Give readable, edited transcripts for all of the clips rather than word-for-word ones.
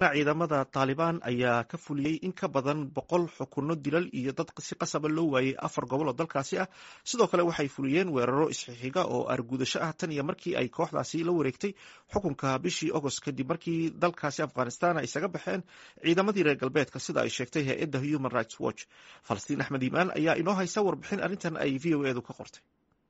Ciidamada Taalibaan ayaa ka fuliyey in ka badan 100 xukunno dilal iyo dad si qasaba loo waayey afar gobol oo dalkaasi ah. Sidoo kale waxay fuliyeen weeraro isxixiga oo argudasho ah tan iyo markii ay kooxdaasi la wareegtay xukunka bishii Agost, kadib markii dalkaasi Afghanistan ay isaga baxeen ciidamadii reer galbeedka, sida ay sheegtay hay-adda Human Rights Watch. Falastiin Axmed Iimaan ayaa inoo haysa warbixin arrintan ay VOA-du ka qortay.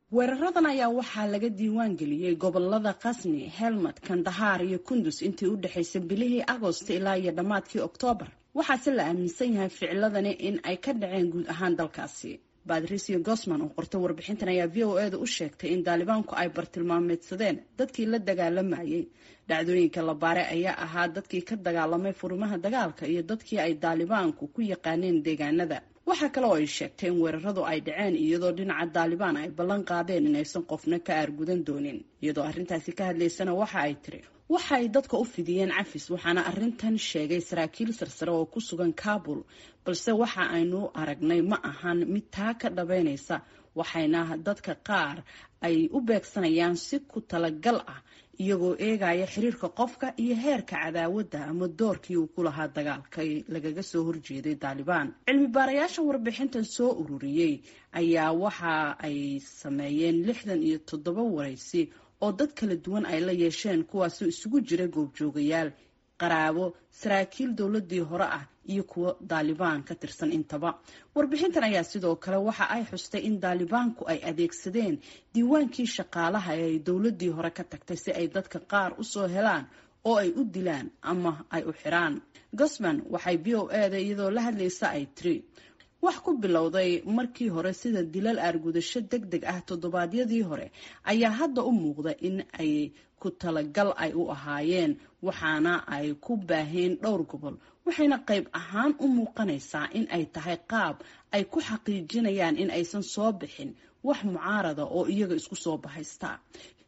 Weeraradan ayaa waxaa laga diiwaan geliyey gobolada Khasni, Helmad, Kandahar iyo Kundus intii u dhexaysay bilihii Agost ilaa iyo dhammaadkii Oktoobar. Waxaase la aaminsan yahay ficiladani in ay ka dhaceen guud ahaan dalkaasi. Badrisio Gosman oo qortay warbixintan ayaa VOA-da u sheegtay in Daalibaanku ay bartilmaameedsadeen dadkii la dagaalamayay. Dhacdooyinka la baaray ayaa ahaa dadkii ka dagaalamay furimaha dagaalka iyo dadkii ay Daalibaanku ku yaqaaneen deegaanada. Waxaa kale oo ay sheegtay in weeraradu ay dhaceen iyadoo dhinaca Daalibaan ay ballan qaadeen inaysan qofna ka aargudan doonin. Iyadoo arrintaasi ka hadlaysana waxa ay tiri: "Waxay dadka u fidiyeen cafis, waxaana arrintan sheegay saraakiil sarsare oo ku sugan Kabul, balse waxa aynu aragnay ma ahan mid taa ka dhabeynaysa, waxayna dadka qaar ay u beegsanayaan si ku talagal ah, iyagoo eegaya xiriirka qofka iyo heerka cadaawadda ama doorkii uu ku lahaa dagaalka lagaga soo horjeeday Daalibaan." Cilmi baarayaasha warbixintan soo ururiyey ayaa waxa ay sameeyeen 67 waraysi oo dad kala duwan ay la yeesheen, kuwaasoo isugu jira goobjoogayaal, qaraabo, saraakiil dowladii hore ah iyo kuwo Daalibaan ka tirsan intaba. Warbixintan ayaa sidoo kale waxa ay xustay in Daalibaanku ay adeegsadeen diiwaankii shaqaalaha ee ay dowladii hore ka tagtay si ay dadka qaar usoo helaan oo ay u dilaan ama ay u xiraan. Gosman waxay VOA-da iyadoo la hadlaysa ay tiri: "Wax ku bilowday markii hore sida dilal aargudasho deg deg ah toddobaadyadii hore ayaa hadda u muuqda in ay ku talagal ay u ahaayeen, waxaana ay ku baaheen dhowr gobol, waxayna qayb ahaan u muuqanaysaa in ay tahay qaab ay ku xaqiijinayaan in aysan soo bixin wax mucaarada oo iyaga isku soo bahaysta."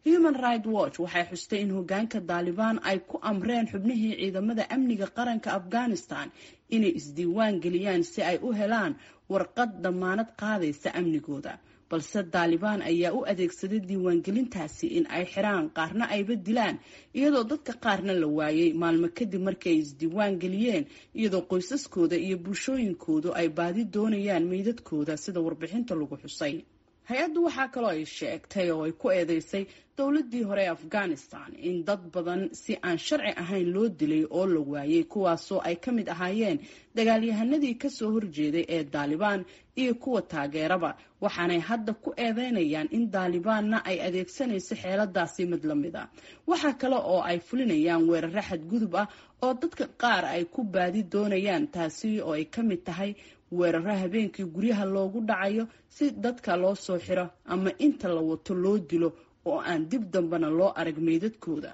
Human Right Watch waxay xustay in hogaanka Daalibaan ay ku amreen xubnihii ciidamada amniga qaranka Afghanistan inay isdiiwaan geliyaan si ay u helaan warqad damaanad qaadaysa amnigooda, balse Daalibaan ayaa u adeegsaday diiwaangelintaasi in ay xiraan, qaarna ayba dilaan, iyadoo dadka qaarna la waayay maalmo kadib markii ay isdiiwaan geliyeen, iyadoo qoysaskooda iyo bulshooyinkoodu ay baadi doonayaan meydadkooda, sida warbixinta lagu xusay. Hay-addu waxaa kaloo ay sheegtay oo ay ku eedeysay dowladii hore ee Afghanistan in dad badan si aan sharci ahayn loo dilay oo la waayay, kuwaasoo ay ka mid ahaayeen dagaalyahanadii kasoo horjeeday ee Daalibaan iyo kuwa taageeraba, waxaanay hadda ku eedeynayaan in Daalibaanna ay adeegsanayso xeeladaasi mid la mid a. Waxaa kale oo ay fulinayaan weeraro xadgudub ah oo dadka qaar ay ku baadi doonayaan, taasi oo ay ka mid tahay weeraro habeenkii guryaha loogu dhacayo si dadka loo soo xiro ama inta la wato loo dilo oo aan dib dambena loo arag meydadkooda,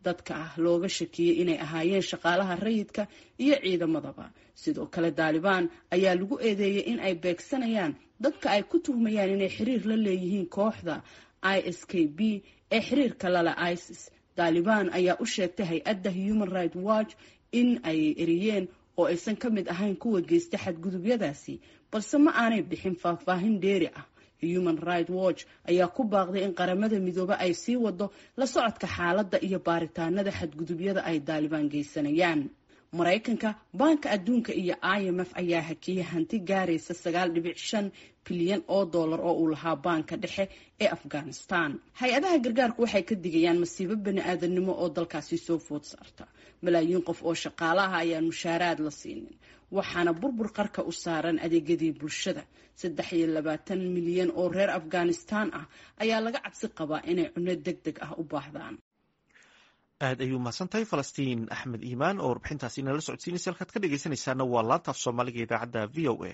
dadka ah looga shakiyey inay ahaayeen shaqaalaha rayidka iyo ciidamadaba. Sidoo kale Daalibaan ayaa lagu eedeeyey in ay beegsanayaan dadka ay ku tuhmayaan inay xiriir la leeyihiin kooxda ISKB ee xiriirka lala ISIS. Daalibaan ayaa u sheegtay hay-adda Human Right Watch in ay eriyeen oo aysan ka mid ahayn kuwa geysta xadgudubyadaasi, balse ma aanay bixin faahfaahin dheeri ah. Human Right Watch ayaa ku baaqday in Qaramada Midoobe ay sii wado la socodka xaaladda iyo baaritaanada xadgudubyada ay Daalibaan geysanayaan. Maraykanka, Baanka Adduunka iyo IMF ayaa hakiyay hanti gaaraysa 9.5 bilyan oo dollar oo uu lahaa baanka dhexe ee Afghanistan. Hay-adaha gargaarku waxay ka digayaan masiibo bani aadamnimo oo dalkaasi soo food saarta. Malaayiin qof oo shaqaalaha ayaan mushaaraad la siinin, waxaana burbur qarka u saaran adeegyadii bulshada. 23 milyan oo reer Afghanistan ah ayaa laga cabsi qabaa inay cunno deg deg ah u baahdaan. Aad ayuu mahadsan tahay Falastiin Axmed Iimaan oo warbixintaasi inala socodsiinaysa. Halkaad ka dhegeysanaysaana waa laanta af Soomaaliga, idaacadda VOA.